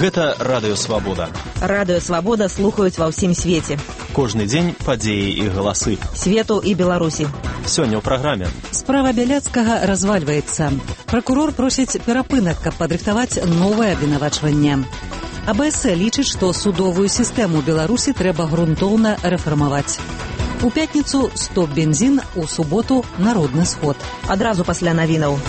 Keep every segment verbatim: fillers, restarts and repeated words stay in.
Гэта Радыё Свабода. Радыё Свабода слухаюць ва ўсім свеце. Кожны дзень падзеі і галасы. Свету і Беларусі. Сёння ў праграме. Справа Бяляцкага развальваецца. Пракурор просіць перапынак, каб падрыхтаваць новае абвінавачванне. А Б С лічыць, што судовую сістэму Беларусі трэба грунтоўна рэфармаваць. У пятніцу стоп бензін, у суботу народны сход. Адразу пасля навінаў.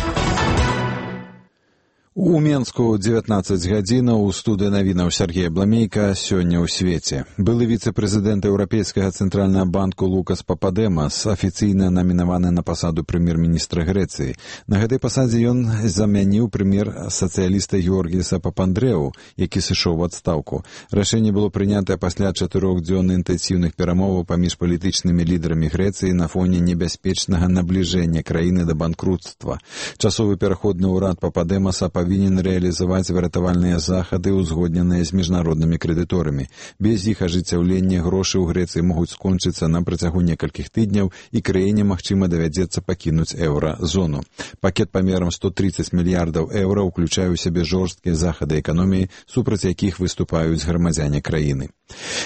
У Менску дзевятнаццаць гадзінаў, у студыі навінаў Сергей Бламейка, сёння ў свеце. Былы віцэ-прэзідэнт Еўрапейскага цэнтральнага банку Лукас Пападэмас афіцыйна намінаваны на пасаду прэм'ер-міністра Грэцыі. На гэтай пасадзе ён замяніў прэм'ер-сацыяліста Георгіса Папандрэу, які сышоў у адстаўку. Рашэнне было прынятае пасля чатырох дзён інтэнсіўных перамоваў паміж палітычнымі лідарамі Грэцыі на фоне небяспечнага набліжэння краіны да банкруцтва. Часовы пераходны ўрад Пападэмаса павінен рэалізаваць выратавальныя захады, узгодненыя з міжнароднымі крэдыторамі. Без іх ажыццяўлення грошы ў Грэцыі могуць скончыцца на працягу некалькіх тыдняў, і краіне, магчыма, давядзецца пакінуць еўра-зону. Пакет памерам сто тридцать мільярдаў еўра ўключае ў сябе жорсткія захады эканоміі, супраць якіх выступаюць грамадзяне краіны.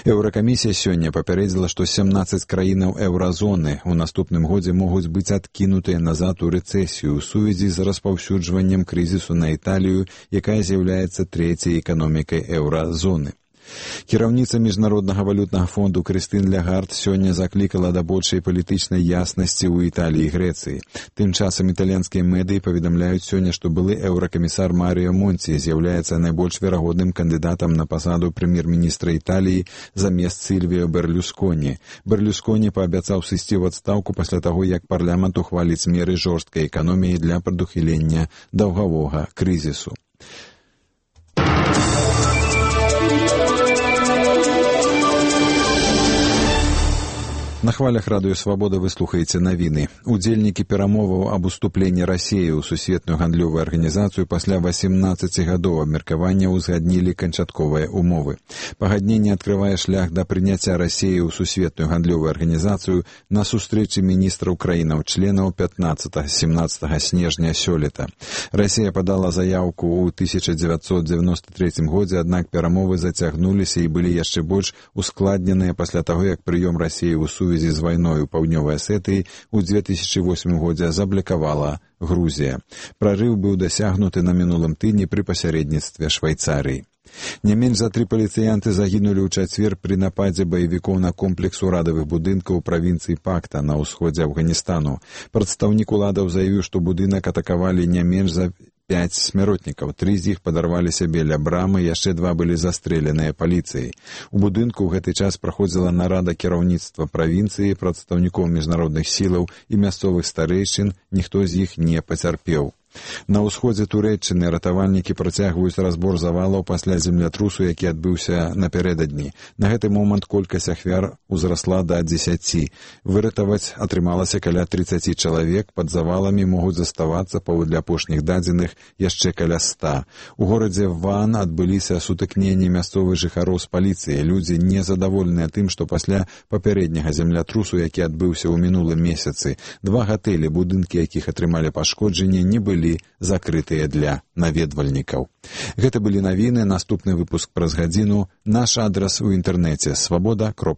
Еўракамісія сёння папярэдзіла, што сямнаццаць краінаў еўразоны ў наступным годзе могуць быць адкінутыя назад у рэцэсію ў сувязі з распаўсюджваннем крызісу на Італію, якая з'яўляецца трэцяй эканомікай еўразоны. Кіраўніца Міжнароднага валютнага фонду Крыстын Лягард сёння заклікала да большай палітычнай яснасці ў Італіі і Грэцыі. Тым часам італьянскія медыі паведамляюць сёння, што былы еўракамісар Маріо Монці з'яўляецца найбольш верагодным кандыдатам на пасаду прэм'ер-міністра Італіі замест Сільвіо Берлюсконі. Берлюсконі паабяцаў сысці ў адстаўку пасля таго, як парламент ухваліць меры жорсткай эканоміі для прадухілення даўгавога крызісу. На хвалях Радыё Свабода вы слухаеце навіны. Удзельнікі перамоваў аб уступленні Расіі ў сусветную гандлёвую арганізацыю пасля васемнаццаці гадоў абмеркавання ўзгаднілі канчатковыя умовы. Пагадненне адкрывае шлях да прыняцця Расіі ў сусветную гандлёвую арганізацыю на сустрэчы міністраў краінаў-членаў пятнаццатага-семнаццатага снежня сёлета. Расія падала заяўку ў тысяча дзевяцьсот дзевяносто трэцім годзе, аднак перамовы зацягнуліся і былі яшчэ больш ускладненыя пасля таго, як прыём Расіі ў сувязі з вайной у паўднёвай Асетыі ў дзве тысячы восьмым годзе заблакавала Грузія. Прарыў быў дасягнуты на мінулым тыдні пры пасярэдніцтве Швайцарыі. Не менш за тры паліцыянты загінулі ў чацвер пры нападзе баевікоў на комплекс урадавых будынкаў у правінцыі Пакта на ўсходзе Афганістану. Прадстаўнік уладаў заявіў, што будынак атакавалі не менш за пяць смяротнікаў. Тры з іх падарваліся біля брамы, яшчэ два былі застрэленыя паліцыяй. У будынку ў гэты час праходзіла нарада кіраўніцтва правінцыі, прадстаўнікоў міжнародных сілаў і мясцовых старэйшын, ніхто з іх не пацярпеў. На ўсходзе Турэччыны ратавальнікі працягваюць разбор завалаў пасля землятрусу, які адбыўся напярэдадні. На гэты момант колькасць ахвяр узрасла да дзесяці. Выратаваць атрымалася каля трыццаці чалавек, пад заваламі могуць заставацца, паводле апошніх дадзеных, яшчэ каля ста. У горадзе Ван адбыліся сутыкненні мясцовых жыхароў з паліцыяй. Людзі незадаволеныя тым, што пасля папярэдняга землятрусу, які адбыўся ў мінулым месяцы, два гатэлі, будынкі якіх атрымалі пашкоджанне, не былі закрытыя для наведвальнікаў. Гэта былі навіны, наступны выпуск праз гадзіну. Наш адрас у інтэрнэце свабода кропка